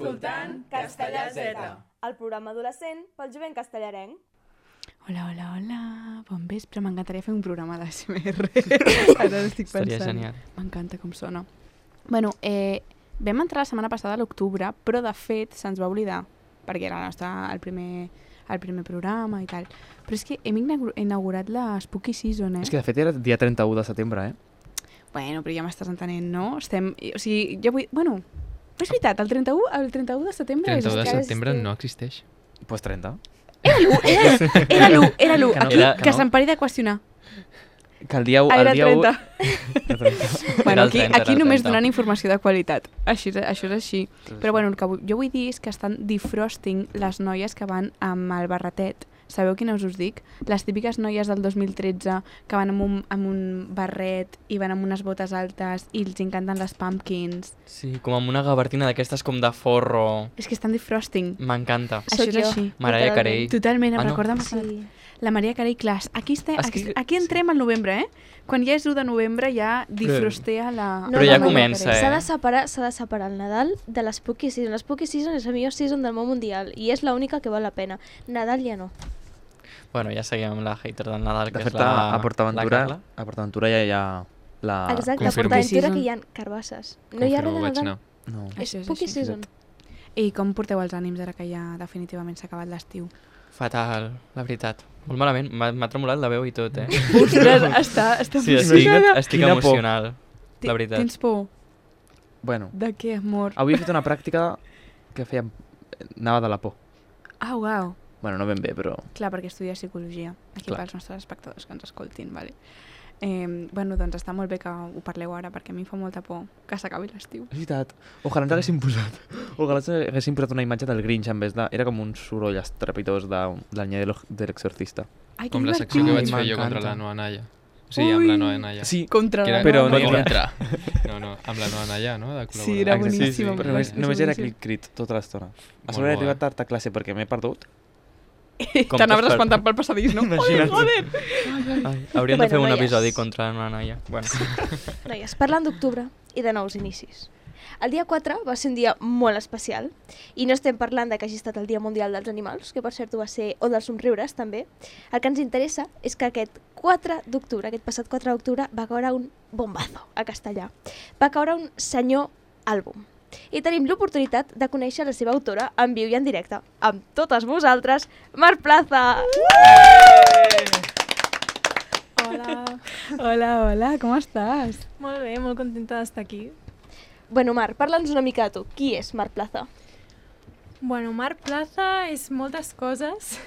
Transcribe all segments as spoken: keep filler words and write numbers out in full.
escoltant Castellà Z, el programa adolescent pel jovent castellarenc. Hola, hola, hola, bon vespre, m'encantaria fer un programa d'A S M R. Ara estic pensant. Estaria genial. M'encanta com sona. Bueno, eh, vam entrar la setmana passada a l'octubre, però de fet se'ns va oblidar, perquè era el nostre, el primer, el primer programa i tal. Però és que hem inaugurat la Spooky Season, eh? És que de fet era dia trenta-u de setembre, eh? Bueno, però ja m'estàs entenent, no? Estem... O sigui, jo vull... Bueno, és veritat, el trenta-u, el trenta-u de setembre... trenta-u de és... setembre no existeix. Pues trenta. Era l'u, era, era l'u, era l'u. Que no, Aquí, era- que que no. se'n pari de qüestionar. Que el dia u... Ah, era el dia u... trenta. Era trenta. Bueno, Era el aquí, trenta, aquí era el només trenta. donant informació de qualitat. Així, això és així. Però bueno, el que vull, jo vull dir és que estan defrosting les noies que van amb el barretet. Sabeu quines us dic? Les típiques noies del dos mil tretze que van amb un, amb un barret i van amb unes botes altes i els encanten les pumpkins. Sí, com amb una gabardina d'aquestes com de forro. És que estan defrosting. M'encanta. Això és jo. així. Mariah Carey. Totalment, em Ah, no? recorda Sí. sí. la Mariah Carey Class. Aquí, estem, És aquí, que- aquí entrem al novembre, eh? Quan ja és u de novembre ja defrostea la... No, Però ja no, no, comença, S'ha eh? de separar, s'ha de separar el Nadal de l'Spooky Season. L'Spooky Season és la millor season del món mundial i és l'única que val la pena. Nadal ja no. Bueno, ja seguim amb la hater del Nadal, que De és fet, la, a PortAventura, la Carla. a PortAventura ja hi ha la... Exacte, a confirmo. PortAventura Season. que hi ha carbasses. No hi ha res Confirmo, de vaig Nadal. anar. No. És Això és Spooky així. Season. I com porteu els ànims ara que ja definitivament s'ha acabat l'estiu? Fatal, la veritat. Molt malament, m'ha m'ha tremolat la veu i tot, eh? Ostres, està, està Sí, estic, emocionada. estic Quina por. emocional, Ti- la veritat. Tens por? Bueno, De què, amor? avui he fet una pràctica que feia... anava de la por. Ah, uau. Bueno, no ben bé, però... Clar, perquè estudia psicologia. Aquí Clar. pels nostres espectadors que ens escoltin, vale? Eh, bueno, doncs està molt bé que ho parleu ara, perquè a mi em fa molta por que s'acabi l'estiu. És veritat. Ojalà ens haguessin posat... Ojalà ens haguessin posat una imatge del Grinch en vez de... Era com un soroll estrepitós de, del nye de l'O- de l'exorcista. Ai, que Com la divertit. secció que Ai, vaig fer jo m'encanta. contra la Noa Naya. O sigui, amb la Noa Naya. Sí, Contra Que la era Però Noa. no hi havia- contra. No, no, amb la Noa Naya, no? De Sí, era col·laborador. boníssima. però només, només era aquell crit tota l'estona. A sobre he bo, arribat eh? tard a classe perquè m'he perdut. Com T'anaves per- espantant pel passadís, no? Imagina't. Joder! Ai, hauríem de Bueno, fer un noies. episodi contra una noia. Bueno, Noies, parlant d'octubre i de nous inicis. El dia quatre va ser un dia molt especial i no estem parlant de que hagi estat el Dia Mundial dels Animals, que per cert ho va ser, o dels somriures també. El que ens interessa és que aquest quatre d'octubre, aquest passat quatre d'octubre, va caure un bombazo a castellà. Va caure un senyor àlbum. I tenim l'oportunitat de conèixer la seva autora en viu i en directe. Amb totes vosaltres, Mar Plaza! Hola, Hola, hola, com estàs? molt bé, molt contenta d'estar aquí. Bueno, Mar, parla'ns una mica de tu. Qui és Mar Plaza? Bueno, Mar Plaza és moltes coses,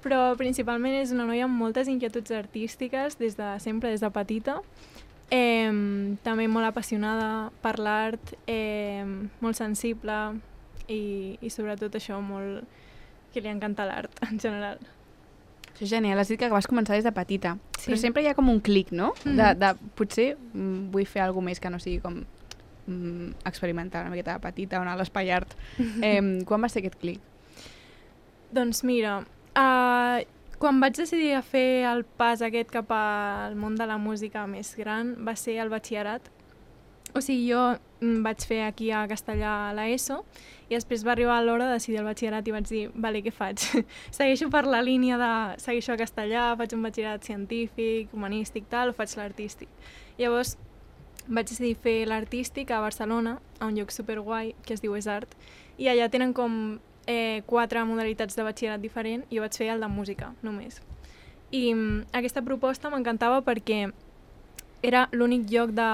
però principalment és una noia amb moltes inquietuds artístiques des de sempre, des de petita. Eh, també molt apassionada per l'art, eh, molt sensible i, i sobretot això, molt que li encanta l'art en general. Això és genial, has dit que vas començar des de petita. Sí. Però sempre hi ha com un clic, no? Mhm. De, de, potser mm, vull fer alguna més que no sigui com mm, experimentar una miqueta de petita o anar a l'espai art. Eh, quan va ser aquest clic? Doncs mira, uh, quan vaig decidir a fer el pas aquest cap al món de la música més gran va ser el batxillerat. O sigui, jo mm, vaig fer aquí a Castellà a l'ESO i després va arribar l'hora de decidir el batxillerat i vaig dir, vale, què faig? Segueixo per la línia de... Segueixo a Castellà, faig un batxillerat científic, humanístic, tal, o faig l'artístic. Llavors vaig decidir fer l'artístic a Barcelona, a un lloc superguai que es diu EsArt, i allà tenen com eh, quatre modalitats de batxillerat diferent i jo vaig fer el de música, només. I mm, aquesta proposta m'encantava perquè era l'únic lloc de...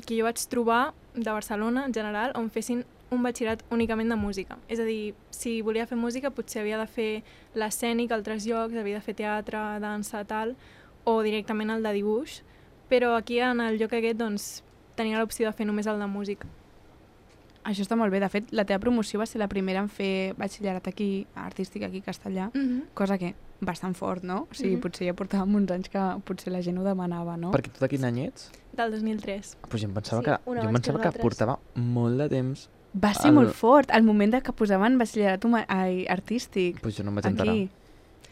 que jo vaig trobar de Barcelona, en general, on fessin un batxillerat únicament de música. És a dir, si volia fer música potser havia de fer l'escènic a altres llocs, havia de fer teatre, dansa, tal, o directament el de dibuix, però aquí en el lloc aquest doncs, tenia l'opció de fer només el de música. Això està molt bé. De fet, la teva promoció va ser la primera en fer batxillerat aquí, artístic aquí a Castellà, Mm-hmm. cosa que bastant fort, no? O sigui, Mhm. potser ja portàvem uns anys que potser la gent ho demanava, no? Perquè tu de quin any ets? Del dos mil tres. Pues jo em pensava, Sí, que, un jo abans em que pensava que, nosaltres. portava molt de temps. Va ser el- molt fort, el moment de que posaven batxillerat huma- ai, artístic. Pues jo no em vaig enterar. Aquí.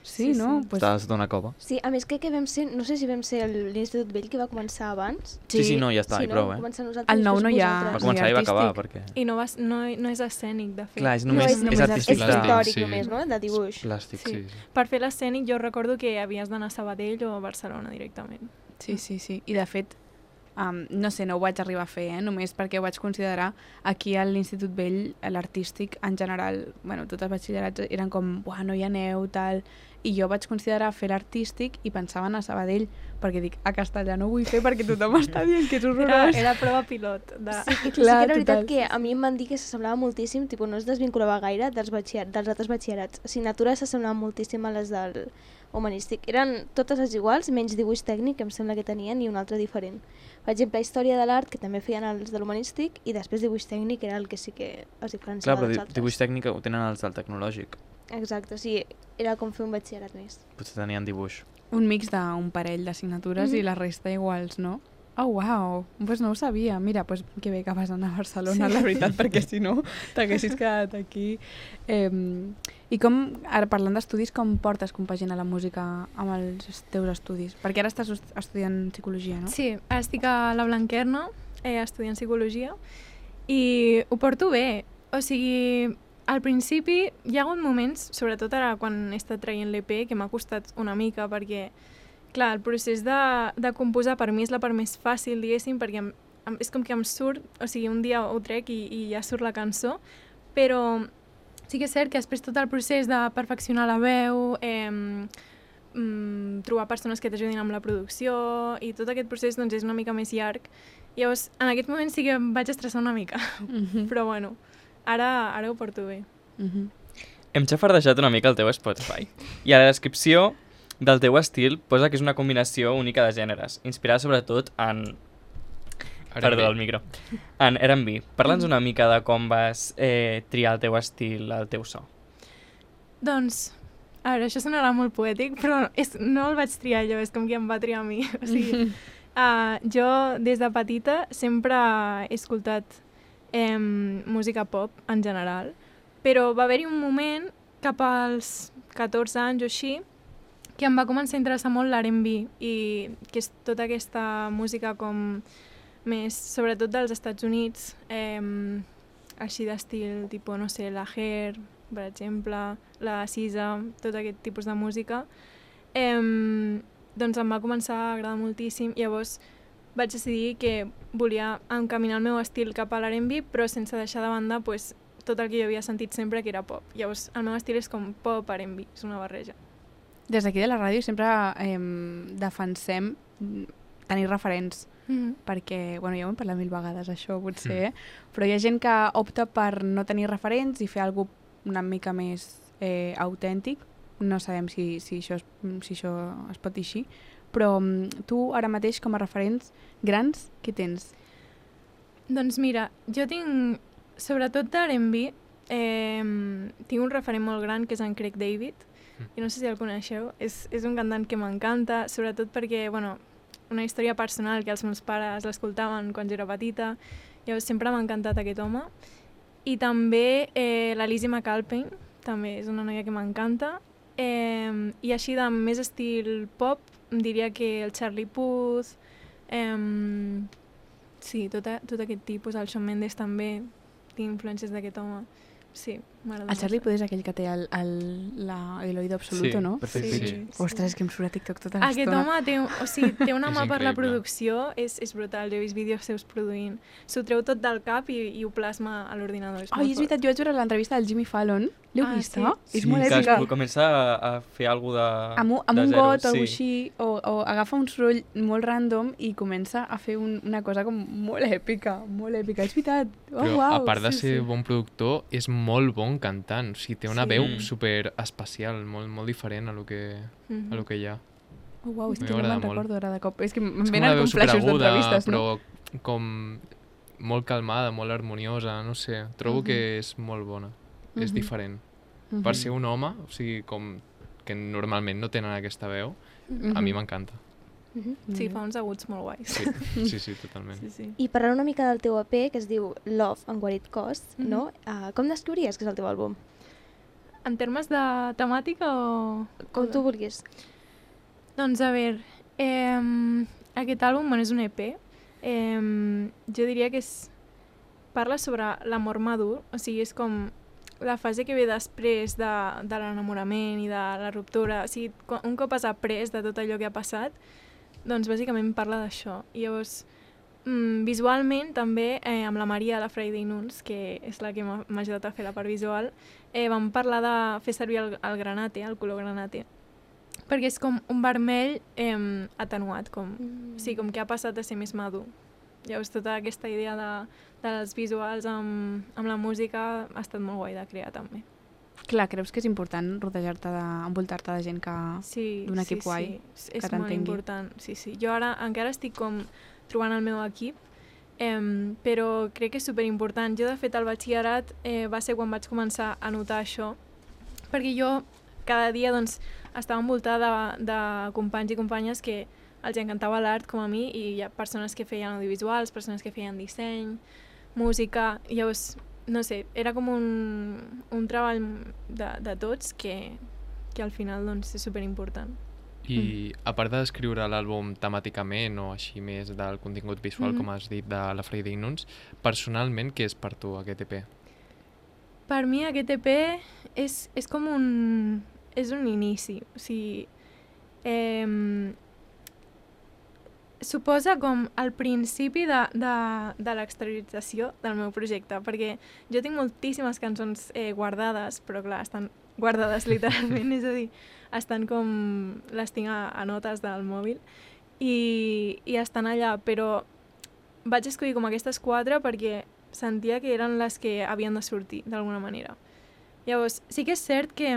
Sí, Sí, no? sí. Pues, Estava sota una cova. Sí, a més crec que vam ser, no sé si vam ser el- l'Institut Vell que va començar abans. Sí, sí, no, ja està, sí, i prou, no? eh? Començar nosaltres Al i nou després no hi ha- Va vosaltres. començar i va acabar, artístic. perquè... I no, vas, no, no és escènic, de fet. Clar, és No només, és només és artístic. És artístic. històric Sí. només, no? De dibuix. Plàstic. Sí. Sí, sí. Per fer l'escènic jo recordo que havies d'anar a Sabadell o a Barcelona directament. sí, sí, sí. I de fet, um, no sé, no ho vaig arribar a fer, eh? Només perquè ho vaig considerar aquí a l'Institut Vell, l'artístic en general, bueno, tots els batxillerats eren com, buah, no hi aneu, tal... I jo vaig considerar fer l'artístic i pensava anar a Sabadell, perquè dic, a Castellà no ho vull fer perquè tothom està dient que és Era, horrorós. era prova pilot. De... Sí, sí que Clar, era veritat total. que a mi em van dir que s'assemblava moltíssim, tipus, no es desvinculava gaire dels, batxiller, dels altres batxillerats. Assignatures s'assemblaven moltíssim a les del humanístic. Eren totes les iguals, menys dibuix tècnic, que em sembla que tenien, i un altre diferent. Per exemple, història de l'art, que també feien els de l'humanístic, i després dibuix tècnic era el que sí que es Clar, diferenciava però dels di- altres. dibuix tècnic ho tenen els del tecnològic. Exacte, sí, era com fer un batxillerat més. Potser tenien dibuix. Un mix d'un parell d'assignatures Mhm. i la resta iguals, no? Oh, uau, pues no ho sabia. Mira, pues que bé que vas anar a Barcelona, Sí. la veritat, perquè si no t'haguessis quedat aquí. Eh, I com, ara parlant d'estudis, com portes compaginar la música amb els teus estudis? Perquè ara estàs est- estudiant psicologia, no? Sí, ara estic a la Blanquerna, eh, estudiant psicologia, i ho porto bé. O sigui, al principi hi ha hagut moments, sobretot ara quan he estat traient l'E P, que m'ha costat una mica, perquè, clar, el procés de, de composar per mi és la part més fàcil, diguéssim, perquè em, em, és com que em surt, o sigui, un dia ho trec i, i ja surt la cançó, però sí que és cert que després tot el procés de perfeccionar la veu, eh, mm, trobar persones que t'ajudin amb la producció i tot aquest procés doncs, és una mica més llarg. Llavors, en aquest moment sí que em vaig estressar una mica, Mhm. però bueno, ara, ara ho porto bé. Mhm. Hem xafardejat una mica el teu Spotify. I a la descripció del teu estil posa que és una combinació única de gèneres, inspirada sobretot en... Ara Perdó, bé. el micro. En R and B. Parla'ns una mica de com vas eh, triar el teu estil, el teu so. Doncs, a veure, això sonarà molt poètic, però és, no el vaig triar jo, és com que em va triar a mi. O sigui, uh, jo des de petita sempre he escoltat eh, música pop en general, però va haver-hi un moment cap als catorze anys o així que em va començar a interessar molt l'R and B i que és tota aquesta música com més, sobretot dels Estats Units, eh, així d'estil, tipus, no sé, la Hair, per exemple, la Sisa, tot aquest tipus de música, eh, doncs em va començar a agradar moltíssim. Llavors vaig decidir que volia encaminar el meu estil cap a l'R and B, però sense deixar de banda pues, tot el que jo havia sentit sempre, que era pop. Llavors el meu estil és com pop R and B, és una barreja. Des d'aquí de la ràdio sempre eh, defensem mm, tenir referents, Mm -hmm. perquè, bueno, ja ho hem parlat mil vegades això potser, mm. però hi ha gent que opta per no tenir referents i fer alguna una mica més eh, autèntic. No sabem si, si, això es, si això es pot dir així, però mm, tu ara mateix com a referents grans, què tens? Doncs mira, jo tinc, sobretot d'R and B, eh, tinc un referent molt gran que és en Craig David, i no sé si el coneixeu, és, és un cantant que m'encanta, sobretot perquè, bueno, una història personal que els meus pares l'escoltaven quan jo era petita, llavors sempre m'ha encantat aquest home. I també eh, la Lizzie McAlpine, també és una noia que m'encanta, eh, i així de més estil pop, em diria que el Charlie Puth, eh, sí, tot, a, tot aquest tipus, el Shawn Mendes també, tinc influències d'aquest home. Sí, m'agrada El Charlie molt. Puth és aquell que té el, el, la, el oído absoluto, Sí, no? Perfecte. Sí, Sí. sí. Ostres, que em surt a TikTok tota Aquest l'estona. home té, un- o sigui, té una És mà per la increïble. producció, és, és brutal, jo he vist vídeos seus produint. S'ho treu tot del cap i, i ho plasma a l'ordinador. És Ai, molt és veritat, jo vaig veure l'entrevista del Jimmy Fallon. L'heu Ah, vista? sí. És Sí, molt que èpica. es comença a, a fer alguna de Amb, un- amb de un zero, got o sí. alguna així, o, o agafa un soroll molt random i comença a fer un, una cosa com molt èpica, molt èpica. És veritat. Oh, Però uau, a part de sí, ser sí. bon productor, és molt bon cantant. O sigui, té una Sí. veu Mm. super especial, molt, molt diferent a lo que, Mhm. a lo que hi ha. Oh, uau, és que no M'agrada me'n molt. recordo ara de cop. És que em És com una venen veu com flashes superaguda, d'entrevistes, no? però com molt calmada, molt harmoniosa, no sé. Trobo Mhm. que és molt bona. És Mhm. diferent. Mhm. Per ser un home, o sigui, com que normalment no tenen aquesta veu, a mi m'encanta. Mhm. Sí, fa uns aguts molt guais. Sí, sí, sí, totalment. Sí, sí. I parlant una mica del teu E P, que es diu Love en Guarit Cost, Mhm. no? Uh, com descriuries que és el teu àlbum? en termes de temàtica o...? Com tu vulguis. Doncs a veure, eh, aquest àlbum bueno, és un E P. Eh, jo diria que és, parla sobre l'amor madur, o sigui, és com la fase que ve després de, de l'enamorament i de la ruptura. O sigui, un cop has après de tot allò que ha passat, doncs bàsicament parla d'això. I llavors, mm, visualment també, eh, amb la Maria de la Friday Nuns, que és la que m'ha ajudat a fer la part visual, eh, vam parlar de fer servir el, el granate, el color granate, perquè és com un vermell eh, atenuat, com, mm. o sigui, com que ha passat a ser més madur. Llavors, tota aquesta idea de, dels visuals amb, amb la música ha estat molt guai de crear, també. Clar, creus que és important rodejar-te, de, envoltar-te de gent que... Sí, d'un equip sí, guai, sí. que És molt important, sí, sí. Jo ara encara estic com trobant el meu equip, eh, però crec que és superimportant. Jo, de fet, al batxillerat eh, va ser quan vaig començar a notar això, perquè jo cada dia doncs, estava envoltada de, de companys i companyes que els encantava l'art com a mi, i hi ha persones que feien audiovisuals, persones que feien disseny, música, i llavors, no sé, era com un, un treball de, de tots que, que al final doncs, és superimportant. I mm. a part d'escriure l'àlbum temàticament o així més del contingut visual, mm. com has dit, de la Friday Nuns, personalment, què és per tu aquest E P? Per mi aquest E P és, és com un... és un inici, o sigui... Eh, suposa com el principi de, de, de l'exteriorització del meu projecte, perquè jo tinc moltíssimes cançons eh, guardades, però clar, estan guardades literalment, és a dir, estan com... les tinc a, a notes del mòbil i, i estan allà, però vaig escollir com aquestes quatre perquè sentia que eren les que havien de sortir, d'alguna manera. Llavors, sí que és cert que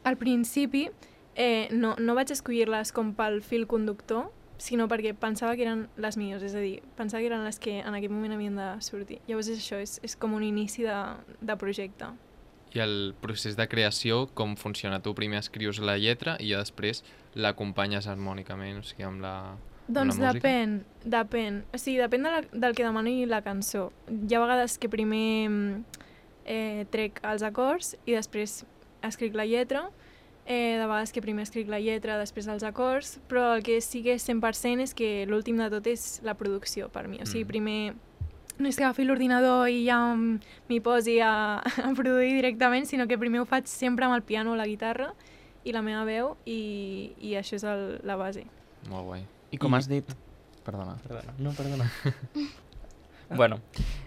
al principi eh, no, no vaig escollir-les com pel fil conductor, sinó perquè pensava que eren les millors, és a dir, pensava que eren les que en aquell moment havien de sortir. Llavors és això, és, és com un inici de, de projecte. I el procés de creació, com funciona? Tu primer escrius la lletra i ja després l'acompanyes harmònicament, o sigui, amb la, doncs amb la música? Doncs depèn, depèn. O sigui, depèn de la, del que demani la cançó. Hi ha vegades que primer eh, trec els acords i després escric la lletra, Eh, de vegades que primer escric la lletra, després els acords, però el que sí que és cent per cent és que l'últim de tot és la producció per mi. O sigui, primer no és que agafi l'ordinador i ja m'hi posi a, a produir directament, sinó que primer ho faig sempre amb el piano o la guitarra i la meva veu, i, i això és el, la base. Molt guai. I com I... has dit... Perdona. Perdona. No, perdona. Bueno,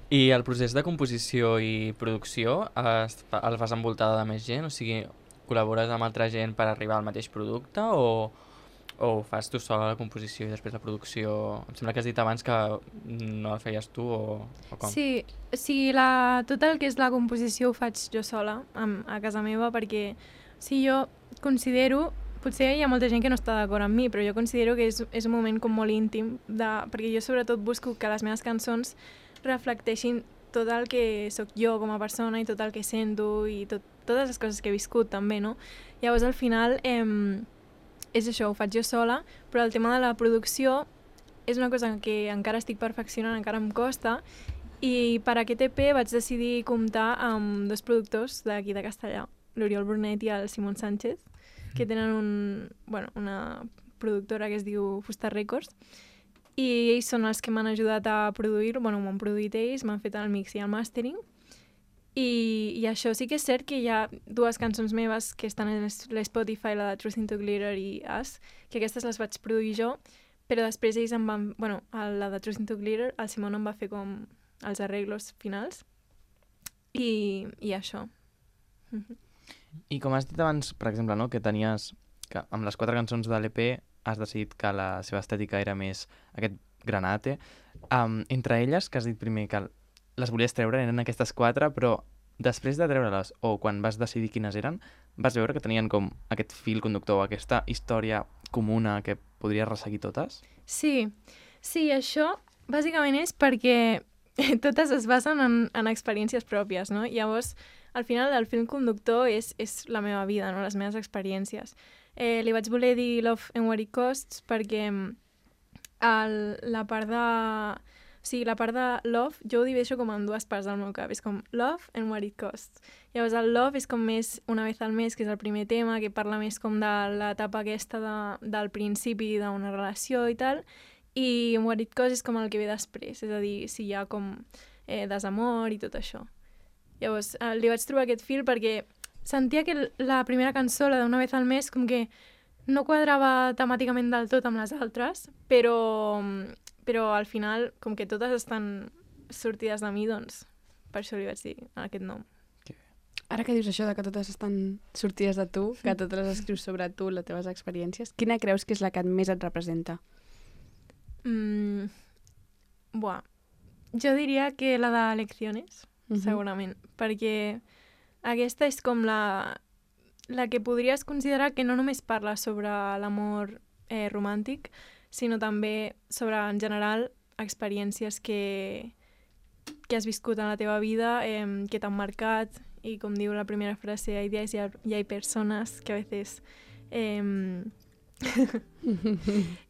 i el procés de composició i producció es, el fas envoltada de més gent? O sigui, col·labores amb altra gent per arribar al mateix producte o, o fas tu sola la composició i després la producció? Em sembla que has dit abans que no la feies tu o, o com? Sí, o sigui, la, tot el que és la composició ho faig jo sola amb, a casa meva, perquè o sigui, jo considero, potser hi ha molta gent que no està d'acord amb mi, però jo considero que és, és un moment com molt íntim, de, perquè jo sobretot busco que les meves cançons reflecteixin tot el que sóc jo com a persona i tot el que sento i tot, totes les coses que he viscut també, no? Llavors al final eh, és això, ho faig jo sola, però el tema de la producció és una cosa que encara estic perfeccionant, encara em costa, i per aquest E P vaig decidir comptar amb dos productors d'aquí de Castellà, l'Oriol Brunet i el Simon Sánchez, que tenen un, bueno, una productora que es diu Fusta Records, i ells són els que m'han ajudat a produir, bueno, m'han produït ells, m'han fet el mix i el mastering, i, i això sí que és cert que hi ha dues cançons meves que estan a l'Spotify, la de Truth into Glitter i Us, que aquestes les vaig produir jo, però després ells em van... Bueno, la de Truth into Glitter, el Simon em va fer com els arreglos finals, i, i això. I com has dit abans, per exemple, no, que tenies... que amb les quatre cançons de l'E P has decidit que la seva estètica era més aquest granate. Um, entre elles, que has dit primer que les volies treure, eren aquestes quatre, però després de treure-les, o quan vas decidir quines eren, vas veure que tenien com aquest fil conductor, aquesta història comuna que podries resseguir totes? Sí, sí, això bàsicament és perquè totes es basen en, en experiències pròpies, no? Llavors, al final, el fil conductor és, és la meva vida, no? Les meves experiències. Eh, li vaig voler dir Love and What It Costs perquè el, la part de, O sigui, la part de love, jo ho divideixo com en dues parts del meu cap. És com love and what it costs. Llavors el love és com més una vez al mes, que és el primer tema, que parla més com de l'etapa aquesta de, del principi d'una relació i tal, i what it costs és com el que ve després, és a dir, si hi ha com eh, desamor i tot això. Llavors, eh, li vaig trobar aquest fil perquè sentia que la primera cançó, la d'una vez al mes, com que no quadrava temàticament del tot amb les altres, però, però al final, com que totes estan sortides de mi, doncs per això li vaig dir aquest nom. Ara que dius això de que totes estan sortides de tu, que totes les escrius sobre tu, les teves experiències, quina creus que és la que més et representa? Mm, buah, jo diria que la de Lecciones, uh -huh. segurament, perquè aquesta és com la, la que podries considerar que no només parla sobre l'amor eh, romàntic, sinó també sobre, en general, experiències que, que has viscut en la teva vida, eh, que t'han marcat, y como digo la primera frase, hay días y hay personas que a veces... Eh,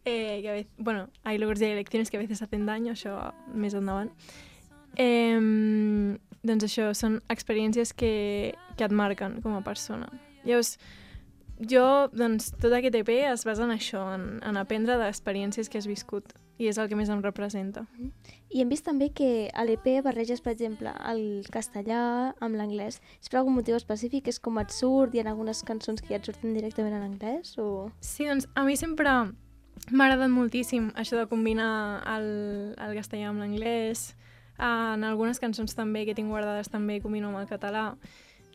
eh, que a veces, bueno, hay logros y hay elecciones que a veces hacen daño, això més endavant. Eh, doncs això, són experiències que, que et marquen com a persona. Llavors, jo, doncs, tot aquest E P es basa en això, en, en aprendre d'experiències que has viscut, i és el que més em representa. I hem vist també que a l'E P barreges, per exemple, el castellà amb l'anglès. És per algun motiu específic? És com et surt? Hi ha algunes cançons que ja et surten directament en anglès? O... Sí, doncs a mi sempre m'ha agradat moltíssim això de combinar el, el castellà amb l'anglès. En algunes cançons també que tinc guardades també combino amb el català.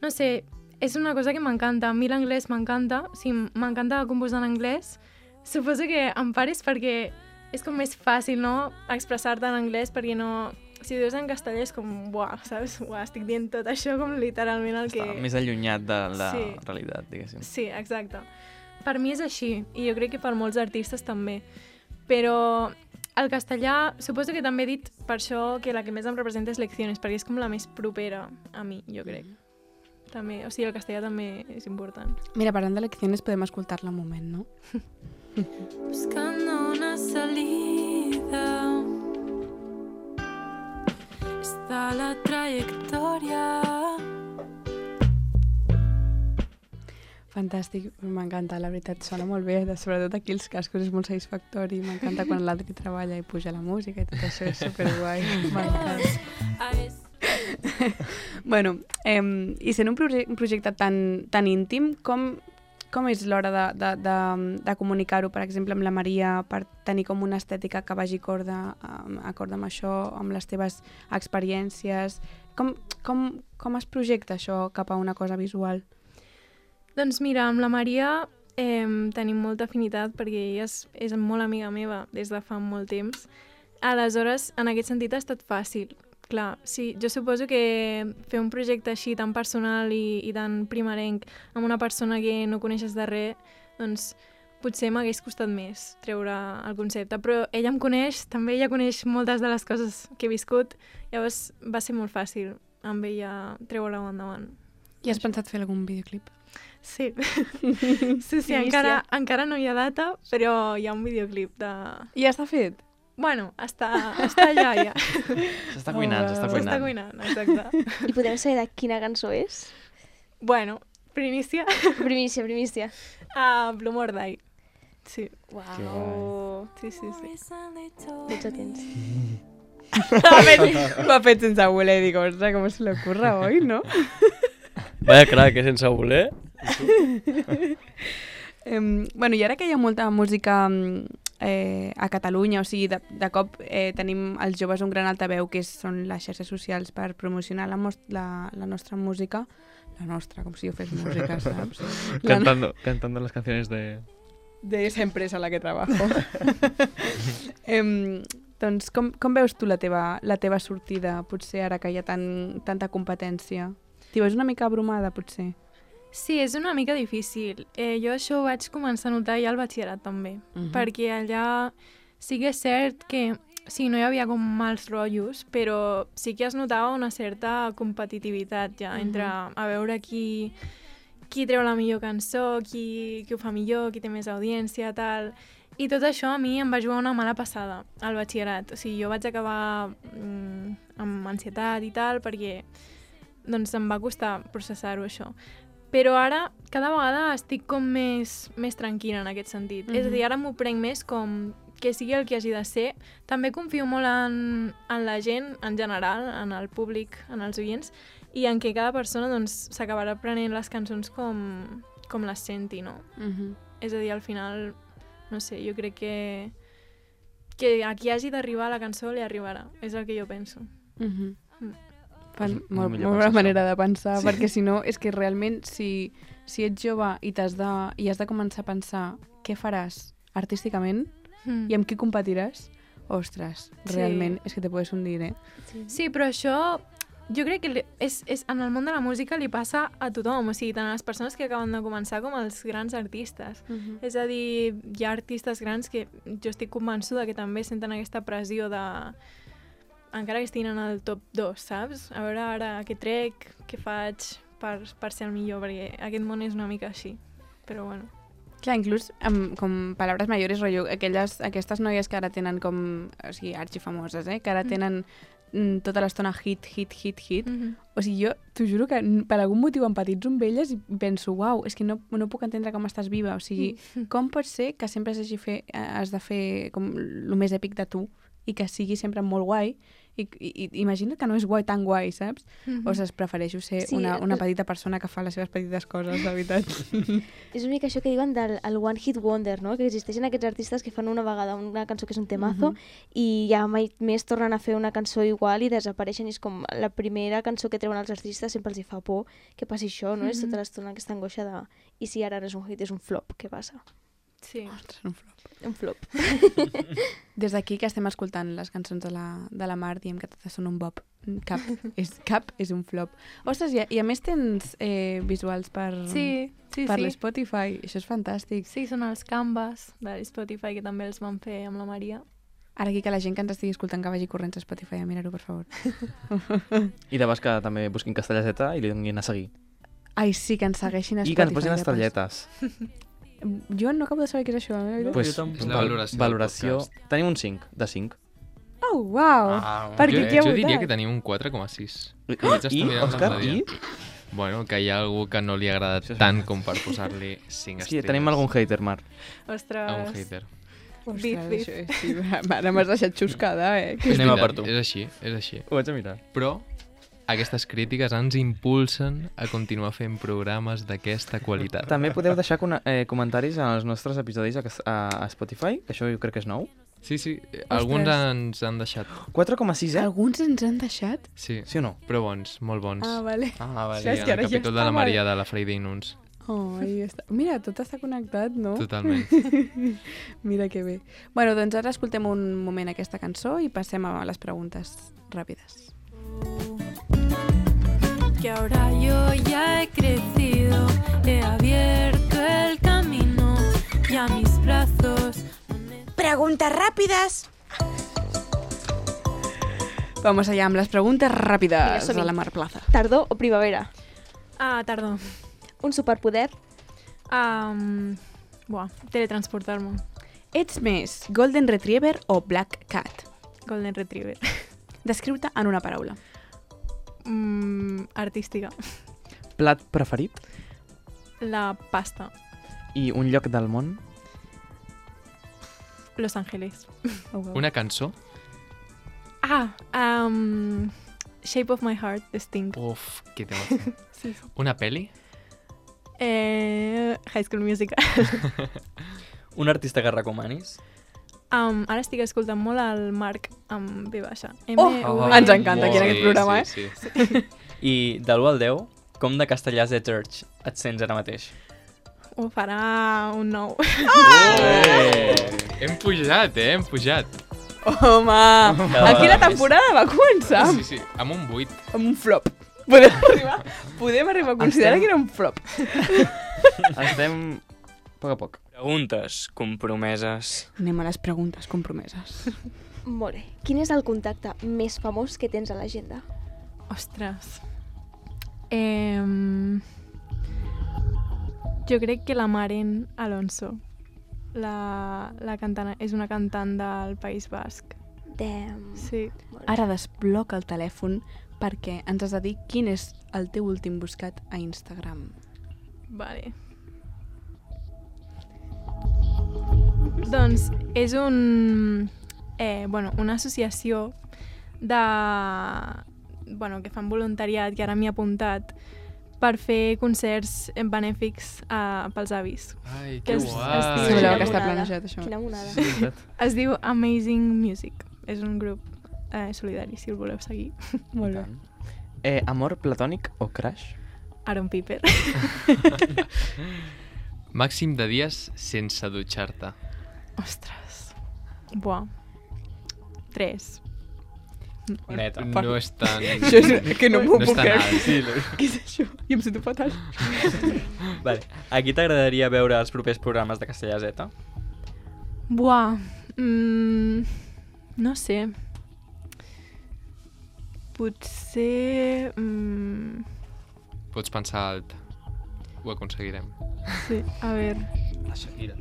No sé, és una cosa que m'encanta. A mi l'anglès m'encanta. O sigui, m'encanta composar en anglès. Suposo que en part és perquè és com més fàcil, no?, expressar-te en anglès, perquè no... Si ho dius en castellà és com, buah, saps? Buah, estic dient tot això com literalment el que... Està més allunyat de la sí. realitat, diguéssim. Sí, exacte. Per mi és així, i jo crec que per molts artistes també. Però el castellà, suposo que també he dit per això que la que més em representa és Lecciones, perquè és com la més propera a mi, jo crec. També, o sigui, el castellà també és important. Mira, parlant de Lecciones podem escoltar-la un moment, no? Buscando una salida, está la trayectoria. Fantàstic, m'encanta, la veritat, sona molt bé, sobretot aquí els cascos és molt satisfactori, m'encanta quan l'Adri treballa i puja la música i tot això és superguai, m'encanta. Bueno, eh, i sent un, proje un projecte tan, tan íntim, com... Com és l'hora de, de, de, de comunicar-ho, per exemple, amb la Maria, per tenir com una estètica que vagi corda, acord amb això, amb les teves experiències? Com, com, com es projecta això cap a una cosa visual? Doncs mira, amb la Maria eh, tenim molta afinitat perquè ella és, és molt amiga meva des de fa molt temps. Aleshores, en aquest sentit ha estat fàcil. Clar, sí, jo suposo que fer un projecte així tan personal i, i tan primerenc amb una persona que no coneixes de res, doncs potser m'hagués costat més treure el concepte, però ella em coneix, també ella coneix moltes de les coses que he viscut, llavors va ser molt fàcil amb ella treure-ho endavant. I has pensat fer algun videoclip? Sí, sí, sí, encara, encara no hi ha data, però hi ha un videoclip de... I ja està fet? Bueno, està, està allà, ja. S'està cuinant, s'està cuinant. S'està cuinant, exacte. I podem saber de quina cançó és? Bueno, primícia. Primícia, primícia. Uh, Blue Morday. Sí. Uau. Sí, sí, sí. Tots atents. M'ha fet sense voler, dic, ostres, com se l'ocurra, oi, no? Vaya crac, que sense voler. Um, bueno, i ara que hi ha molta música eh, a Catalunya, o sigui, de, de cop eh, tenim els joves un gran altaveu que és, són les xarxes socials per promocionar la, la, la nostra música, la nostra, com si jo fes música, saps? Cantando, no... cantando las canciones de... De esa empresa a la que trabajo. um, doncs com, com veus tu la teva, la teva sortida, potser ara que hi ha tan, tanta competència? T'hi veus una mica abrumada, potser? Sí, és una mica difícil. Eh, jo això ho vaig començar a notar ja al batxillerat també, uh-huh. perquè allà sí que és cert que sí, no hi havia com mals rotllos, però sí que es notava una certa competitivitat ja, uh-huh. entre a veure qui, qui treu la millor cançó, qui, qui ho fa millor, qui té més audiència, tal. I tot això a mi em va jugar una mala passada al batxillerat. O sigui, jo vaig acabar mm, amb ansietat i tal perquè doncs em va costar processar-ho això. Però ara cada vegada estic com més, més tranquil·la en aquest sentit. Mm-hmm. És a dir, ara m'ho prenc més com que sigui el que hagi de ser. També confio molt en, en la gent en general, en el públic, en els oients, i en què cada persona doncs, s'acabarà prenent les cançons com, com les senti, no? Mhm. És a dir, al final, no sé, jo crec que, que a qui hagi d'arribar la cançó li arribarà. És el que jo penso. Mhm. Mm. Fan És molt, millor molt bona pensar manera això. de pensar, Sí. perquè si no, és que realment, si, si ets jove i, t'has de, i has de començar a pensar què faràs artísticament Mm. i amb qui competiràs, ostres, Sí. realment és que te puedes hundir, eh? Sí, però això jo crec que li- és, és, en el món de la música li passa a tothom, o sigui, tant a les persones que acaben de començar com als grans artistes. Mhm. És a dir, hi ha artistes grans que jo estic convençuda que també senten aquesta pressió de... encara que estiguin en el top dos, saps? A veure ara què trec, què faig per, per ser el millor, perquè aquest món és una mica així. Però bueno. Clar, inclús amb, com paraules mayores, rotllo, aquelles, aquestes noies que ara tenen com, o sigui, arxifamoses, eh? Que ara tenen mm, tota l'estona hit, hit, hit, hit. Mm -hmm. O sigui, jo t'ho juro que n- per algun motiu empatitzo amb elles i penso, uau, és que no, no puc entendre com estàs viva. O sigui, com pot ser que sempre s'hagi fer, eh, has de fer com el més èpic de tu i que sigui sempre molt guai? I, i, i imagina't que no és guai tan guai, saps? Mm -hmm. O sigui, prefereixo ser Sí, una, una el- petita persona que fa les seves petites coses, de veritat. És una mica això que diuen del el One Hit Wonder, no? Que existeixen aquests artistes que fan una vegada una cançó que és un temazo Mhm. i ja mai més tornen a fer una cançó igual i desapareixen. I és com la primera cançó que treuen els artistes sempre els hi fa por que passi això, no? És tota l'estona aquesta angoixa de i si ara no és un hit, és un flop, què passa? Sí. Ostres, un flop. Un flop. Des d'aquí que estem escoltant les cançons de la, de la Mar, diem que totes són un bob. Cap és, cap és un flop. Ostres, i a, i a més tens eh, visuals per, Sí, sí, per sí. l'Spotify. Això és fantàstic. Sí, són els canvas de Spotify que també els van fer amb la Maria. Ara aquí que la gent que ens estigui escoltant que vagi corrents a Spotify a mirar-ho, per favor. I de bas que també busquin Castellaseta i li donin a seguir. Ai, sí, que ens segueixin a I Spotify. que ens posin de pas. estrelletes. Jo no acabo de saber què és això. Eh? Pues, tampoc. És la valoració del valoració... podcast. Tenim un cinc, de cinc. Oh, uau! Ah, Per jo, què qui ha jo votat? diria que tenim un quatre coma sis. I, Vaig estar i mirant Òscar, l'altre i... dia. Bueno, que hi ha algú que no li agrada Això és tant com per posar-li cinc Sí, estrelles. tenim algun hater, Mar. Ostres. A un hater. Ostres, Bif, bif. això és, sí, ara m'has deixat xuscada, eh? És Anem a veritat, per tu. És així, és així. Ho vaig a mirar. Però aquestes crítiques ens impulsen a continuar fent programes d'aquesta qualitat. També podeu deixar con eh, comentaris als nostres episodis a, a, a Spotify, que això jo crec que és nou. Sí, sí, alguns ens han deixat. quatre coma sis, eh? Alguns ens han deixat? Sí, Sí o no? però bons, molt bons. Ah, vale. Ah, vale. Sí, és que en ara el ja capítol de està la mal. Maria de la Friday Nuns. Oh, ahí està. Mira, tot està connectat, no? Totalment. Mira que bé. Bueno, doncs ara escoltem un moment aquesta cançó i passem a les preguntes ràpides. Que ahora yo ya he crecido, he abierto el camino y a mis brazos. Preguntas rápidas. Vamos allá amb les preguntes Vinga, ràpides som-hi. a la Mar Plaza. Tardor o primavera? Ah, tardor. Un superpoder? Um, buah, teletransportar-me. Ets més Golden Retriever o Black Cat? Golden Retriever. Descriu-te en una paraula. Mm, artística. Plat preferit La pasta. i un lloc del món. Los Ángeles. Oh, wow. Una cançó? Ah, um, Shape of My Heart, de Sting. Uf, que tema. Sí, sí. Una peli? Eh, High School Musical. Un artista que recomanis? Um, ara estic escoltant molt el Marc amb B baixa. Oh, M V. ens encanta aquí en Sí, aquest programa, sí, eh? Sí. I de l'u al deu, com de castellà de Church et sents ara mateix? Ho farà un nou. Oh! Hem pujat, eh? Hem pujat. Home, Cada aquí la vegada més. temporada va començar Sí, sí, amb un vuit. amb un flop. Podem arribar, podem arribar a considerar Estem- que era un flop. Estem a poc a poc. Preguntes compromeses. Anem a les preguntes compromeses. Molt bé. Quin és el contacte més famós que tens a l'agenda? Ostres. Eh, jo crec que la Maren Alonso. la, la cantant és una cantant del País Basc. Damn. Sí. Ara desbloca el telèfon perquè ens has de dir quin és el teu últim buscat a Instagram. Vale. Doncs és un, eh, bueno, una associació de, bueno, que fan voluntariat, que ara m'hi he apuntat, per fer concerts benèfics uh, pels avis. Ai, Que que es- guai. es diu- Semblava Quina que està monada. planejat, això. Quina monada. Sí, és veritat. Es diu Amazing Music. És un grup eh, solidari, si el voleu seguir. Molt bé. Tant. Eh, amor platònic o crush? Aaron Piper. Màxim de dies sense dutxar-te. Ostres. Buah. Tres. Neta. No és tan... Això és que no m'ho No és puc tan creure. alt. Sí, Què és això? I em sento fatal. vale. A qui t'agradaria veure els propers programes de Castellà Z? Buah. Mm, no sé. Potser... Mm, Pots pensar alt. Ho aconseguirem. sí, a veure. La Shakira.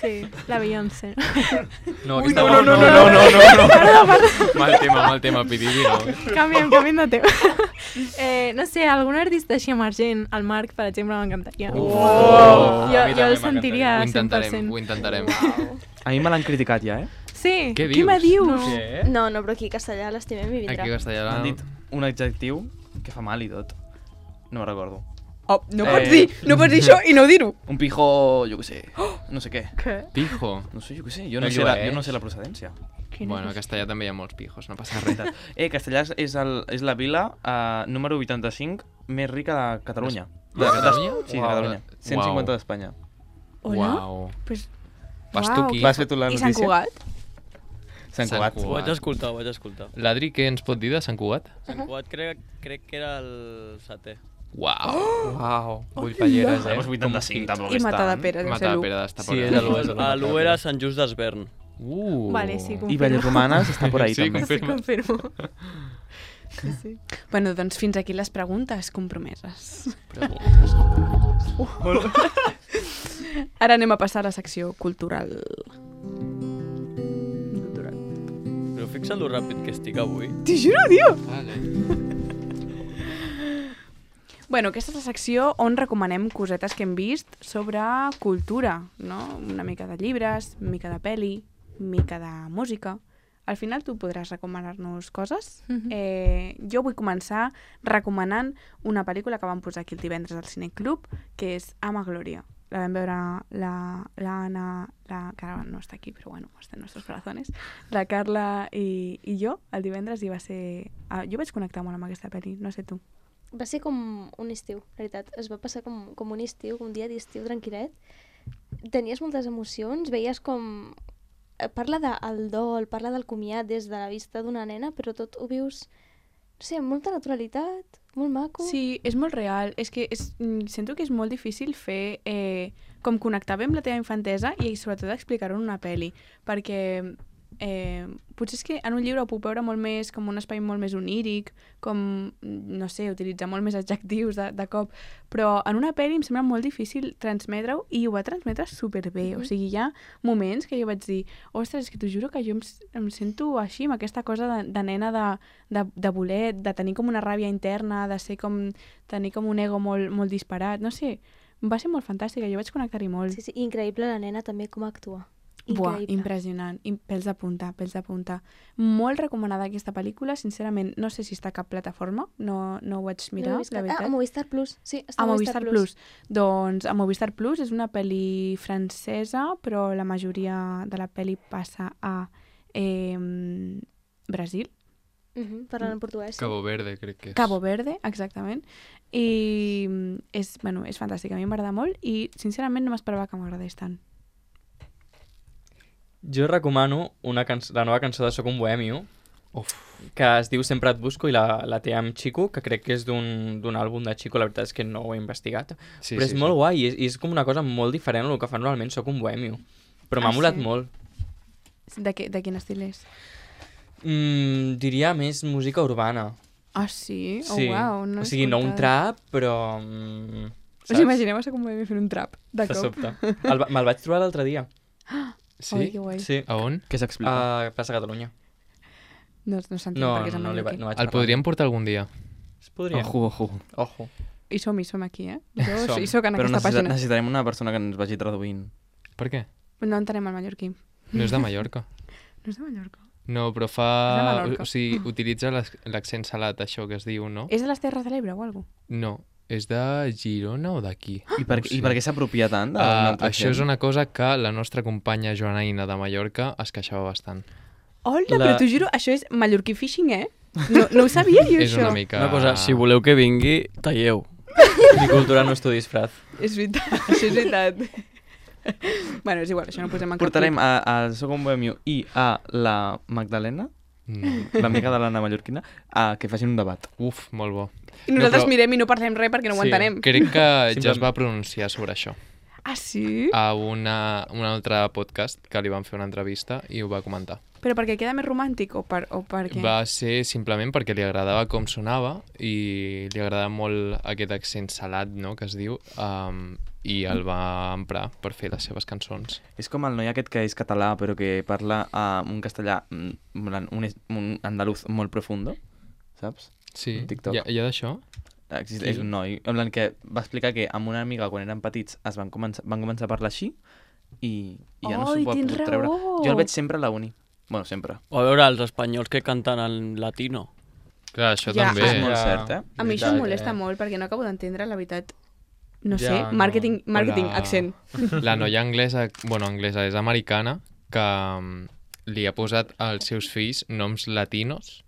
Sí, la Beyoncé. No, aquesta no, no, no, no, no, no, no. Mal tema, mal tema, Pididi, no. Canviem, canviem de tema. eh, no sé, algun artista així emergent, el Marc, per exemple, m'encantaria. Oh! Jo, A mi jo també el sentiria Ho cent per intentarem, cent. ho intentarem. A mi me l'han criticat ja, eh? Sí. Què Què me dius? No. Què? No, no, però aquí a castellà l'estimem i vindrà. Aquí a Castellà... M'han dit un adjectiu que fa mal i tot. No me'n recordo. Oh, no Eh, pots dir, no pots dir això i no dir-ho. Un pijo, jo què sé, no sé què. Què? Pijo. No sé, jo què sé, jo No no, sé la, llueix. jo no sé la procedència. Bueno, a Castellà també hi ha molts pijos, no passa res. Eh, Castellà és, el, és la vila uh, número vuitanta-cinc més rica de Catalunya. De Catalunya? Sí, de Uau. Catalunya. cent cinquanta d'Espanya. Hola? Uau. Pues, Vas tu uau. aquí. Vas fer tu la I notícia? Sant Cugat? Sant Cugat. Sant Ho vaig escoltar, ho vaig escoltar. L'Adri, què ens pot dir de Sant Cugat? Sant Cugat crec, crec que era el setè. Uau. Uau, vull palleres, eh? Doncs vuitanta-cinc, tampoc I és Matada tant. Pere, deu ser Mata l'u. Pere d'estar Sí, és a l'u, és a l'u. A l'u era Sant Just d'Esvern. Uh. Vale, sí, I confirmo. Vallromanes està por ahí Sí, també. confirma. Confirmo. Sí, sí. Bueno, doncs fins aquí les preguntes compromeses. Ara anem a passar a la secció cultural. Cultural. Però fixa't lo ràpid que estic avui. T'hi juro, tio! Vale. Bueno, aquesta és la secció on recomanem cosetes que hem vist sobre cultura, no? Una mica de llibres, una mica de pel·li, una mica de música. Al final tu podràs recomanar-nos coses. Mhm. eh, jo vull començar recomanant una pel·lícula que vam posar aquí el divendres al Cineclub, que és Ama Glòria. La vam veure la, l'Anna, la, que ara no està aquí, però bueno, està en nostres corazones, la Carla i, i jo el divendres i va ser... Ah, jo vaig connectar molt amb aquesta pel·li, no sé tu. Va ser com un estiu, la veritat. Es va passar com, com un estiu, com un dia d'estiu tranquil·let. Tenies moltes emocions, veies com... eh, Parla del dol, parla del comiat des de la vista d'una nena, però tot ho vius, no sé, amb molta naturalitat, molt maco. Sí, és molt real. És que és, mm, sento que és molt difícil fer eh, com connectar bé amb la teva infantesa i sobretot explicar-ho en una pel·li, perquè eh, potser és que en un llibre ho puc veure molt més com un espai molt més oníric, com, no sé, utilitzar molt més adjectius de, de cop, però en una pel·li em sembla molt difícil transmetre-ho i ho va transmetre superbé. O sigui, hi ha moments que jo vaig dir, ostres, és que t'ho juro que jo em, s- em sento així, amb aquesta cosa de, de nena de, de, de voler, de tenir com una ràbia interna, de ser com, tenir com un ego molt, molt disparat, no sé, va ser molt fantàstica, jo vaig connectar-hi molt. Sí, sí, increïble la nena també com actua. Buah, Increïble. impressionant. I pèls de punta, pèls de punta. Molt recomanada aquesta pel·lícula, sincerament, no sé si està a cap plataforma, no, no ho vaig mirar, No ho he vist la cap- veritat. Ah, a Movistar Plus, sí, està A Movistar Plus. Doncs a Movistar Plus és una pel·li francesa, però la majoria de la pel·li passa a eh, Brasil. Mhm, parlant en portuguès. Sí. Cabo Verde, crec que és. Cabo Verde, exactament. I mm, és, bueno, és fantàstica, a mi m'agrada molt i sincerament no m'esperava que m'agradés tant. Jo recomano una cançó, la nova cançó de Soc un bohemio, Uf. que es diu Sempre et busco i la, la té amb Chico, que crec que és d'un d'un àlbum de Chico, la veritat és que no ho he investigat. Sí, però sí, és molt sí. guai i és, i és com una cosa molt diferent del que fa normalment Soc un bohemio. Però m'ha Ah, molat sí? molt. De, què, de quin estil és? Mm, diria més música urbana. Ah, sí? Oh, Sí. uau, no o l'he sigui, no un escoltada. trap, però... Mm, Us imagineu a com vam fer un trap, de De cop? sobte. El, va- me'l vaig trobar l'altre dia. Sí? Ai, que guai. Sí. A on? Què s'explica? A Plaça Catalunya. No, no s'entén No, perquè és a no, li va, Mallorquí. no vaig El parlar. podríem portar algun dia. Es podria. Ojo, ojo. Ojo. I som, i som aquí, eh? Jo Som. hi soc en Però aquesta necessita, pàgina. necessitarem una persona que ens vagi traduint. Per què? No entenem el mallorquí. No és de Mallorca. No és de Mallorca. No, però És de fa... Menorca. O sigui, utilitza l'ac- l'accent salat, això que es diu, no? És de les Terres de l'Ebre o alguna cosa? No. És de Girona o d'aquí? I per, No ho I sé. per què s'apropia tant? de Uh, una altra això és gent? una cosa que la nostra companya Joanaina de Mallorca es queixava bastant. Hola, La- però t'ho juro, això és mallorquí fishing, eh? No, no ho sabia jo, És això. una mica... Una cosa, si voleu que vingui, talleu. Mi cultura no és tu disfraz. És veritat, això és veritat. Bueno, és igual, això no ho posem en cap Portarem clip. a- al segon bohemio i a la Magdalena, No. l'amiga de l'Anna Mallorquina, a que facin un debat. Uf, molt bo. I nosaltres No, però- mirem i no parlem res perquè no ho Sí, entenem. Crec que ja es Simplement- va pronunciar sobre això. Ah, sí? A una, un altre podcast que li van fer una entrevista i ho va comentar. Però perquè queda més romàntic o per, o per què? Va ser simplement perquè li agradava com sonava i li agradava molt aquest accent salat, no?, que es diu, um, i el va emprar per fer les seves cançons. És com el noi aquest que és català però que parla uh, un castellà, mm, un, es- un andaluz molt profundo, saps? Sí, Un TikTok. hi ha, hi ha d'això? Existeix Qui? un noi en plan que va explicar que amb una amiga quan eren petits es van començar, van començar a parlar així i, i ja no s'ho Ai, pot tens treure. raó! Jo el veig sempre a la uni. Bueno, sempre. O a veure, els espanyols que canten en latino. Clar, això Ja, també. És molt cert, eh? A mi això em Veritat, molesta eh? molt perquè no acabo d'entendre, la veritat. No Ja, sé, no. màrqueting, màrqueting, La- accent. La noia anglesa, bueno, anglesa, és americana, que mm, li ha posat als seus fills noms latinos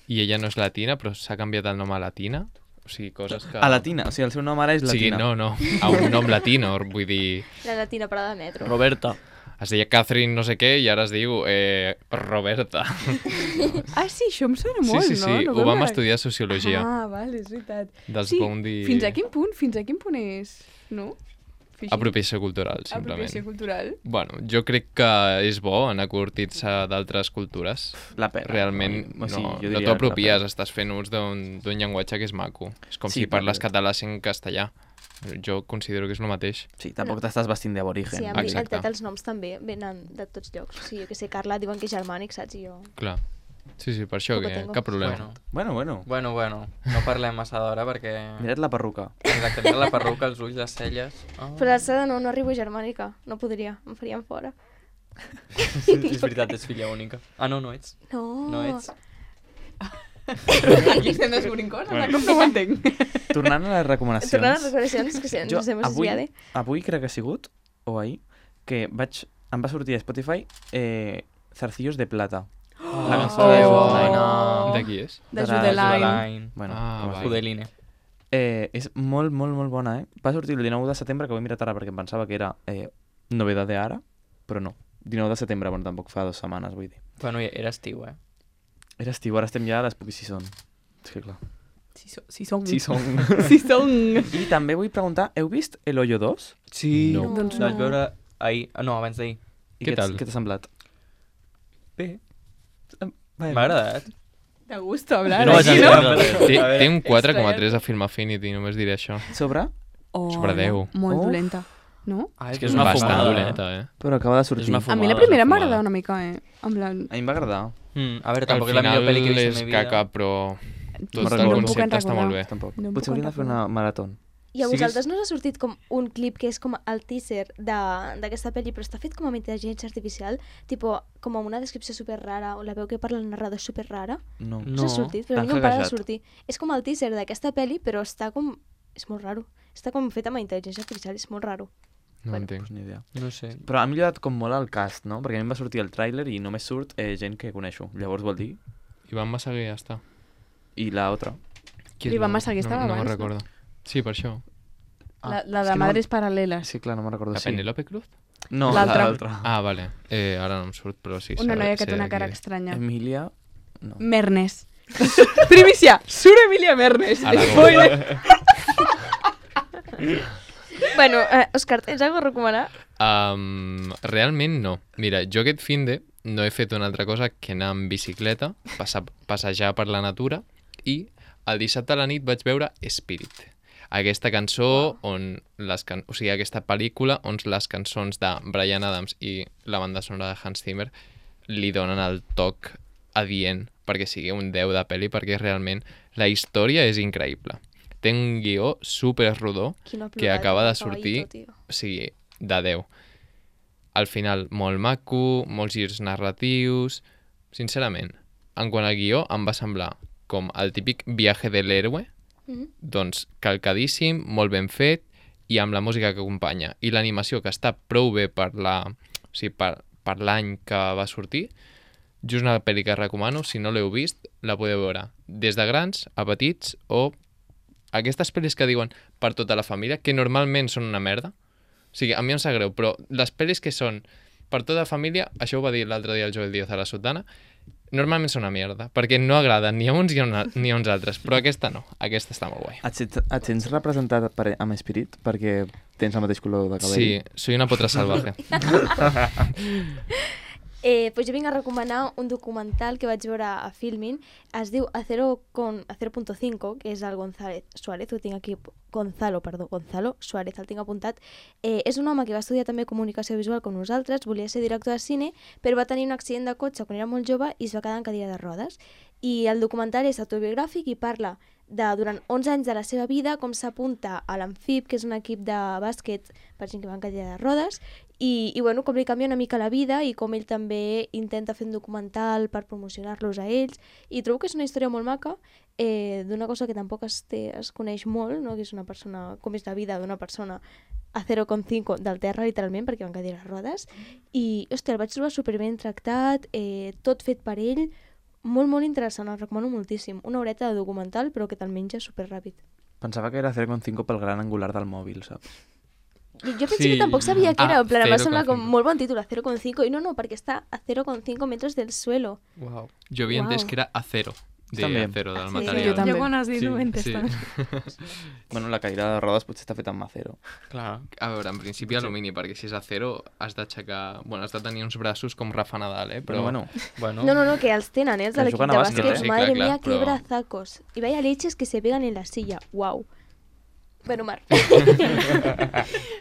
i ella no és latina, però s'ha canviat el nom a latina. O sigui, coses que... A latina, o sigui, el seu nom ara és O sigui, latina. no, no, a un nom latino, vull dir... La latina parada de metro. Roberta. Es deia Catherine no sé què i ara es diu eh, Roberta. Ah, sí, això em sona Sí, molt, sí, no? sí, no ho vam veure- estudiar a Sociologia. Ah, vale, és veritat. Dels sí, Boundy- fins a quin punt? Fins a quin punt és? No? Fishing? Apropiació cultural, simplement. Apropiació cultural. Bueno, jo crec que és bo anar curtits d'altres cultures. La pena. Realment O sigui, no, jo no diria t'ho apropies, la estàs fent ús d'un d'un llenguatge que és maco. És com Sí, si parles perquè- català sent castellà. Jo considero que és el mateix. Sí, tampoc t'estàs vestint d'aborigen. Sí, a mi Exacte. el, els noms també venen de tots llocs. O sigui, jo que sé, Carla diuen que és germànic, saps? I jo... Clar. Sí, sí, per això, Poco que tengo. cap problema. Bueno, Bueno, bueno. bueno, bueno. No parlem massa d'hora perquè... Mira't la perruca. Exacte, mira la perruca, els ulls, les celles... Oh. Però l'alçada no, no arribo a germànica. No podria, em farien fora. És veritat, és filla única. Ah, no, no ets. No. No ets. Aquí estem descobrint coses, Bueno. com no ho entenc. Tornant a les recomanacions. Tornant a les recomanacions, que sí, ens hem avui, desviat. avui crec que ha sigut, o ahir, que vaig, em va sortir a Spotify eh, Zarcillos de Plata. La cançó Oh. de Oh. Fortnite. De qui és? De De la Judeline. Judeline. Bueno, Ah, com es vale. diu. Judeline. Eh, és molt, molt, molt bona, eh? Va sortir el dinou de setembre, que ho he mirat ara perquè em pensava que era eh, novedat de ara, però no. dinou de setembre, bueno, tampoc fa dues setmanes, vull dir. Bueno, era estiu, eh? Era estiu, ara estem ja a les Spooky Season. És que clar. Sí, so, sí som. Sí, són. Sí som. I també vull preguntar, heu vist El Hoyo dos? Sí. No. Doncs La vaig no. veure ahir... No, abans d'ahir. I Què t'ha- tal? Què t'ha semblat? Bé. Bé. M'ha agradat. De gusto hablar. No vaig aquí, entendre no? res. Té, A veure, té un quatre coma extra. tres a Film Affinity, només diré això. Sobre? Oh, Sobre deu. Molt Oh. dolenta, no? Ah, És que és una Bastant fumada, dolenta, eh? Però acaba de sortir. És una A fumada. mi la és primera una m'ha fumada. agradat una mica, eh? En plan... A mi em va agradar. Mm, a veure, Al tampoc és la millor final pel·li que he vist en és la meva vida. caca, però tot No el recordo. concepte No està em puc molt bé. Tampoc. No em Potser puc hauríem de fer recordar. una marató. I a Sigues- vosaltres no us ha sortit com un clip que és com el teaser de- d'aquesta pel·li, però està fet com amb intel·ligència artificial, tipo, com amb una descripció super rara, o la veu que parla el narrador és super rara. No. No. Us ha sortit, però a mi T'han no em para de hackejat. sortir. És com el teaser d'aquesta pel·li, però està com... És molt raro. Està com fet amb intel·ligència artificial, és molt raro. No Bueno. entenc. Pues ni idea. No sé. Però ha millorat com molt el cast, no? Perquè a mi em va sortir el tràiler i només surt eh, gent que coneixo. Llavors vol dir... Ivan Massaguer ja està. I la otra. Qui és L'Ivan la- Massaguer estava no, no abans, me'n no? recordo. Sí, per això. La, la és de que no- Madres Paral·leles. Sí, clar, no me'n recordo. La Sí. Penélope Cruz? No, L'altra. l'altra. Ah, vale. Eh, ara no em surt, però sí. Una sé- noia que sé té una de cara qui és. estranya. Emilia... No. Mernes. Primícia! Surt Emilia Mernes. A la Spoiler. Bueno, eh, Òscar, tens alguna cosa a recomanar? Um, realment no. Mira, jo aquest finde no he fet una altra cosa que anar en bicicleta, passar, passejar per la natura i el dissabte a la nit vaig veure Spirit. Aquesta cançó, on les can... o sigui, aquesta pel·lícula, on les cançons de Bryan Adams i la banda sonora de Hans Zimmer li donen el toc adient perquè sigui un deu de pel·li, perquè realment la història és increïble. Té un guió super rodó que acaba de sortir, o sigui, de deu. Al final, molt maco, molts girs narratius... Sincerament, en quant al guió, em va semblar com el típic viaje de l'héroe, mm-hmm. doncs calcadíssim, molt ben fet, i amb la música que acompanya. I l'animació, que està prou bé per la, o sigui, per, per l'any que va sortir, just una pel·li que recomano, si no l'heu vist, la podeu veure des de grans a petits, o aquestes pel·lis que diuen per tota la família, que normalment són una merda. O sigui, a mi em sap greu, però les pel·lis que són per tota la família, això ho va dir l'altre dia el Joel Díaz a la Sotana, normalment són una merda, perquè no agraden ni a uns ni a, una, ni a uns altres, però aquesta no, aquesta està molt guai. Et, sents- et sents representat per, amb Spirit perquè tens el mateix color de cabell? Sí, soy una potra salvaje. Eh, pues jo vinc a recomanar un documental que vaig veure a Filmin. Es diu Acero con Acero punto cinco, que és el González Suárez, ho tinc aquí, Gonzalo, perdó, Gonzalo Suárez, el tinc apuntat. Eh, és un home que va estudiar també comunicació visual com nosaltres, volia ser director de cine, però va tenir un accident de cotxe quan era molt jove i es va quedar en cadira de rodes. I el documental és autobiogràfic i parla de, durant onze anys de la seva vida, com s'apunta a l'Amfib, que és un equip de bàsquet per gent que va en cadira de rodes, i, i bueno, com li canvia una mica la vida i com ell també intenta fer un documental per promocionar-los a ells, i trobo que és una història molt maca, eh, d'una cosa que tampoc es, té, es coneix molt, no? Que és una persona, com és la vida d'una persona a zero coma cinc del terra, literalment, perquè van cadira de rodes, i, hòstia, el vaig trobar superben tractat, eh, tot fet per ell, molt, molt interessant, el recomano moltíssim. Una horeta de documental, però que te'l menja superràpid. Pensava que era zero coma cinc pel gran angular del mòbil, saps? Jo, jo pensé sí. que tampoc sabia que era, Ah, en plan, em va zero semblar coma com cinc. molt bon títol, a zero coma cinc, i no, no, perquè està a zero coma cinc metros del suelo. Wow. Jo havia Uau. entès que era acero, de També. acero, del Sí. material. Jo també. Jo quan has dit Sí, ho he entès sí. també. Bueno, la cadira de rodes potser està feta amb acero. Clar. A veure, en principi alumini, perquè si és acero has d'aixecar... Bueno, has de tenir uns braços com Rafa Nadal, eh? Però Però bueno, Bueno, No, no, no, que els tenen, eh, els de Que l'equip juguen de a bàsquet, bàsquet. eh? Sí, Madre clar, clar, mía, qué però- brazacos. Y vaya leches que se pegan en la silla. Wow. Bueno, Mar.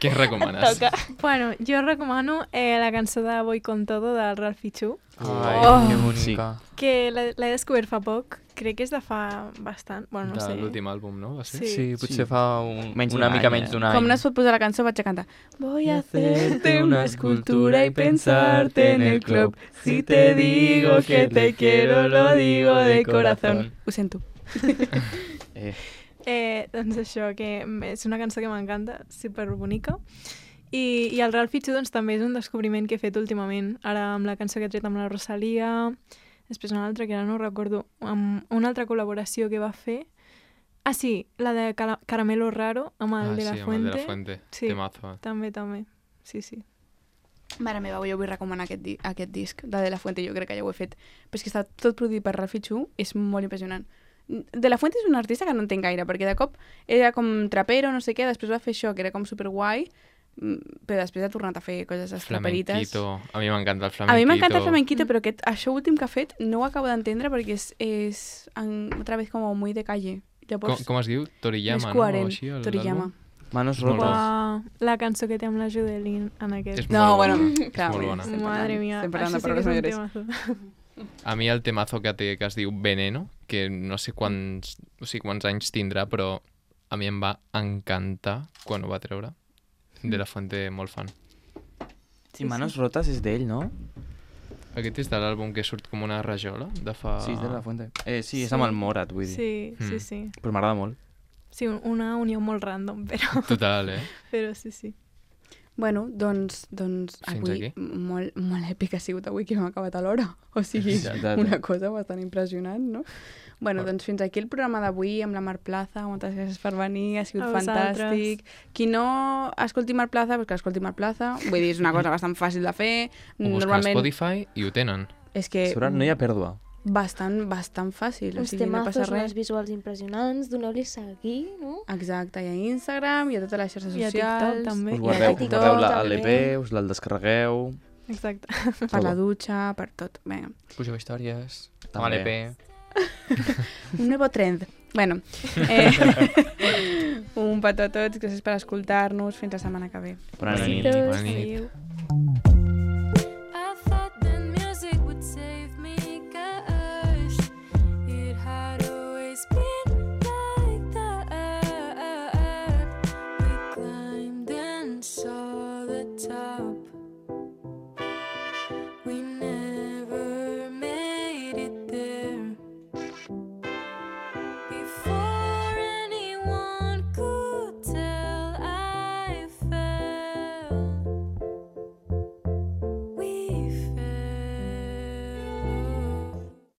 què recomanes? Toca. Bueno, jo recomano eh, la cançó de Voy con todo del Ralphie Chu, ai, Oh. que bonica. que l'he l'he descobert fa poc, crec que és de fa bastant, bueno, no De sé. l'últim àlbum, no? Va ser? Sí. Sí, potser Sí. fa un, Menys una d'un mica any, menys eh? d'un any. Com no es pot posar la cançó, vaig a cantar. Voy a hacerte una escultura y pensarte en el club. Si te digo que te quiero, lo digo de corazón. Ho sento. eh, Eh, doncs això, que és una cançó que m'encanta, superbonica. I, I el Ralphie Chu doncs, també és un descobriment que he fet últimament, ara amb la cançó que he tret amb la Rosalia, després una altra que ara no recordo, amb una altra col·laboració que va fer. Ah, sí, la de Cala- Caramelo Raro, amb el Ah, de la sí, amb el Fuente. de la Fuente. Sí. Temazo. eh? També, també. Sí, sí. Mare meva, jo vull recomanar aquest, di aquest disc de De La Fuente, jo crec que ja ho he fet. Però és que està tot produït per Ralphie Chu, és molt impressionant. De La Fuente és un artista que no entenc gaire, perquè de cop era com trapero, no sé què, després va fer això, que era com superguai, mm, però després ha tornat a fer coses estraperites. Flamenquito. A mi m'encanta el A flamenquito. mi m'encanta el flamenquito, però aquest, això últim que ha fet no ho acabo d'entendre perquè és, és en, otra vez com muy de calle. Com, Llavors, com es diu? Toriyama, més no? coherent, O així, el- Toriyama. l'àlbum? Manos És molt rotas. Uau, la cançó que té amb la Judelin en aquest. És No, molt bueno, bona. clar, molt bueno, bona. estem Madre parlant- mía, estem parlant de això sí que és paraules un mayores. temazo. A mi el temazo que té, que es diu Veneno, que no sé quants, o sigui, quants anys tindrà, però a mi em va encantar quan ho va treure. De la Fuente, molt fan. I Manos rotas és d'ell, no? Aquest és de l'àlbum que surt com una rajola de fa... Sí, és de la Fuente. Eh, sí, és Sí. amb el Morat, vull dir. Sí, sí, Mm. sí. Però m'agrada molt. Sí, un- una unió molt random, però, Total, eh? però sí, sí. Bueno, doncs, doncs Fins avui aquí. molt, molt èpic ha sigut avui que hem acabat a l'hora. O sigui, Ja, ja, ja. una cosa bastant impressionant, no? Bueno, Fort. doncs fins aquí el programa d'avui amb la Mar Plaza. Moltes gràcies per venir, ha sigut A vosaltres. fantàstic. Qui no escolti Mar Plaza, doncs que escolti Mar Plaza. Vull dir, és una cosa bastant fàcil de fer. Ho busca a Spotify i ho tenen. És que Sobre no hi ha pèrdua. bastant, bastant fàcil. O Uns sigui, no passa temazos, res. unes visuals impressionants, doneu-li seguir, no? Exacte, i a Instagram, i a totes les xarxes I a socials. TikTok també. Us I a guardeu, us TikTok guardeu la també. l'E P, us la descarregueu... Exacte. Per la Todo. dutxa, per tot. Vinga. Pugeu històries, amb També. l'E P. Un nuevo trend. Bueno, eh, Un petó a tots, gràcies per escoltar-nos. Fins la setmana que ve. Bona nit. Besitos. Bona nit. Adéu.